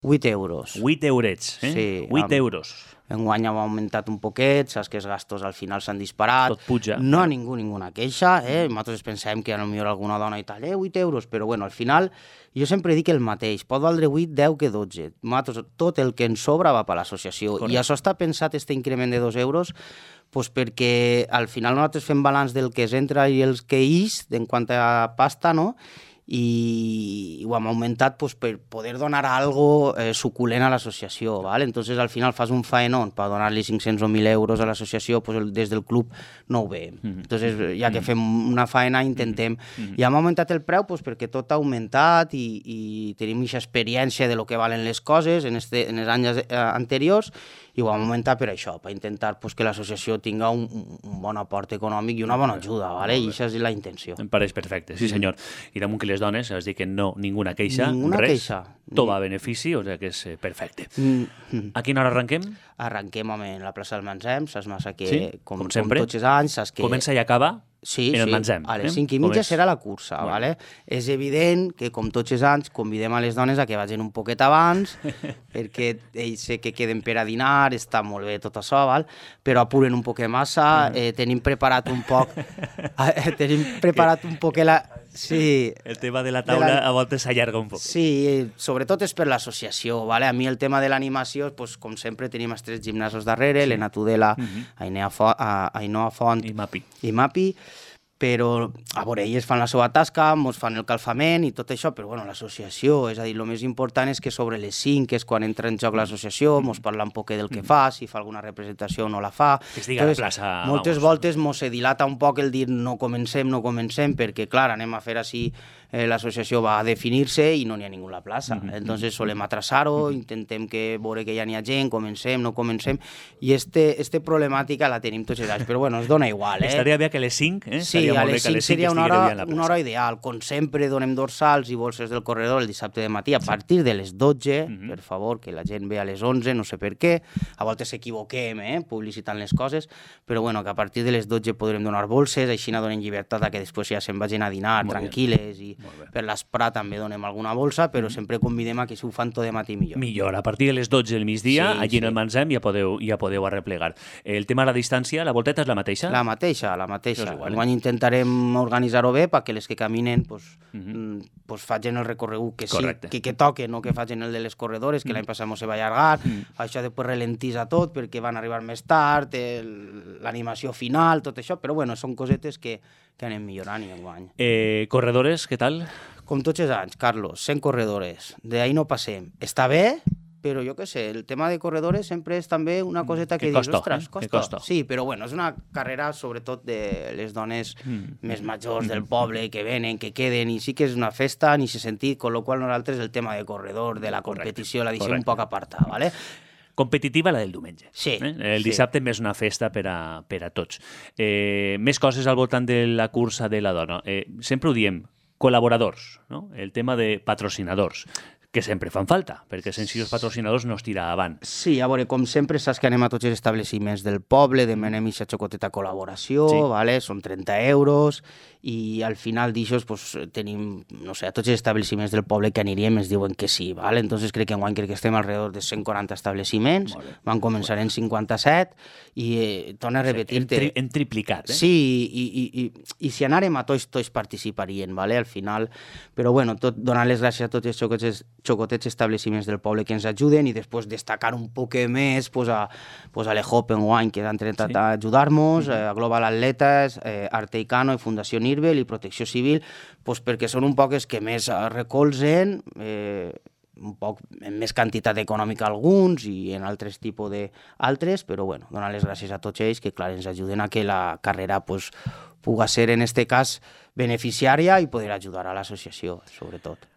8 euros. 8 eurets, eh? Sí, 8 euros. Enguany hem augmentat un poquet, saps que els gastos al final s'han disparat. Tot puja. No ninguna queixa, nosaltres pensem que potser alguna dona i tal, 8 euros, però bueno, al final jo sempre dic el mateix, pot valdre 8, 10 que 12. Nosaltres, tot el que ens sobra va per l'associació. Correcte. I això està pensat, este increment de 2 euros, pues perquè al final nosaltres fem balanç del que es entra i els que ix en quant a pasta, no? I ho hem augmentat pues, per poder donar algo suculent a l'associació, ¿vale? Entonces al final fas un faenón per donar-li 500 o 1.000 euros a l'associació, pues, des del club no ho veiem. Entonces ja que fem una faena intentem... I hem augmentat el preu pues, perquè tot ha augmentat i tenim aquesta experiència de lo que valen les coses en els anys anteriors i ho hem augmentat per això, per intentar pues, que l'associació tinga un bon aport econòmic i una bona ajuda, ¿vale? I això és la intenció. Em pareix perfecte, sí senyor. I damunt que les dones, has dit que no, ninguna queixa, Ninguna res, queixa. tot va a benefici, o sigui que és perfecte. A quina hora arrenquem? Arrenquem en la plaça del Mansem, saps massa que, Sí, com sempre. tots els anys, saps que... Comença i acaba Sí, en el sí, Mansem. a les 5:30 serà la cursa, ¿vale? És evident que, com tots els anys, convidem a les dones a que vagin un poquet abans, perquè ells sé que queden per a dinar, està molt bé tot això, val? Però apuren un poquet massa, tenim preparat un poc... Sí, El tema de la taula a voltes s'allarga un poc. sí, sobretot és per l'associació, ¿vale? A mi el tema de l'animació, pues, com sempre tenim els 3 gimnasos darrere, l'Ena Tudela, Ainhoa Font I Mapi. i Mapi, però a veure, elles fan la seva tasca, ens fan el calfament i tot això, però bueno, l'associació, és a dir, el més important és que sobre les 5, que és quan entra en joc l'associació, ens parla un poc del que fa, si fa alguna representació o no la fa. Que es diga la plaça, Moltes voltes mos se dilata un poc el dir no comencem, perquè clar, anem a fer així, l'associació va a definir-se i no n'hi ha ningú a la plaça. Entonces solem atrasar-ho, intentem que veure que ja n'hi ha gent, comencem, no comencem, i este problemàtica la tenim tots els anys, però bueno, es dona igual, Estaria bé que a les 5, Sí, a les 5 seria una hora ideal. Com sempre, donem dorsals i bolses del corredor el dissabte de matí a partir de les 12, per favor, que la gent ve a les 11, no sé per què. A voltes s'equivoquem, publicitant les coses, però bueno, que a partir de les 12 podrem donar bolses, així no donem llibertat a que després ja se'n vagin a dinar tranquil·les i per l'esprat també donem alguna bolsa, però sempre convidem a que si ho fan tot de matí millor. Millor, a partir de les 12 del migdia, allí en el Mansem ja podeu arreplegar. El tema de la distància, la volteta és la mateixa? La mateixa. Enguany intentarem organitzar-ho bé perquè les que caminen facin el recorregut que toquen, no que facin el de les corredores, que l'any passat no se va allargar, això després ralentisa tot perquè van arribar més tard, l'animació final, tot això, però bueno, són cosetes que anem millorant i enguany. Corredores, què tal? Com tots els anys, Carlos, 100 corredores, d'ahí no passem. Està bé, però jo què sé, el tema de corredores sempre és també una coseta que dius, ostres, costa. Sí, però bueno, és una carrera sobretot de les dones més majors del poble, que venen, que queden, i sí que és una festa en aquest sentit, con lo qual nosaltres el tema de corredor, de la competició, la deixem un poc apartada, ¿vale? Competitiva la del diumenge. Sí. El dissabte més una festa per a tots. Més coses al voltant de la cursa de la dona. Sempre ho diem, col·laboradors, no? El tema de patrocinadors, que sempre fan falta, perquè sense els patrocinadors no es tira avant. Sí, a veure, com sempre saps que anem a tots els estableciments del poble, demanem aquesta xocoteta col·laboració, ¿vale? Són 30 euros, i al final d'això tenim, no sé, a tots els estableciments del poble que aniríem ens diuen que sí, ¿vale? Entonces crec que estem alrededor de 140 estableciments, van començar en 57, i torna a repetir-te... Hem triplicat, Sí, i si anàrem a tots participarien, ¿vale? Al final, però bueno, donar les gràcies a tots els xocotets estableciments del poble que ens ajuden i després destacar un poc més a l'EJOP enguany que han intentat ajudar-nos, a Global Atletes, Arteicano i Fundació Nirvel i Protecció Civil, perquè són un poc els que més recolzen, un poc en més quantitat econòmica alguns i en altres tipus d'altres, però bueno, donar les gràcies a tots ells que clar ens ajuden a que la carrera pugui ser en este cas beneficiària i poder ajudar a l'associació, sobretot.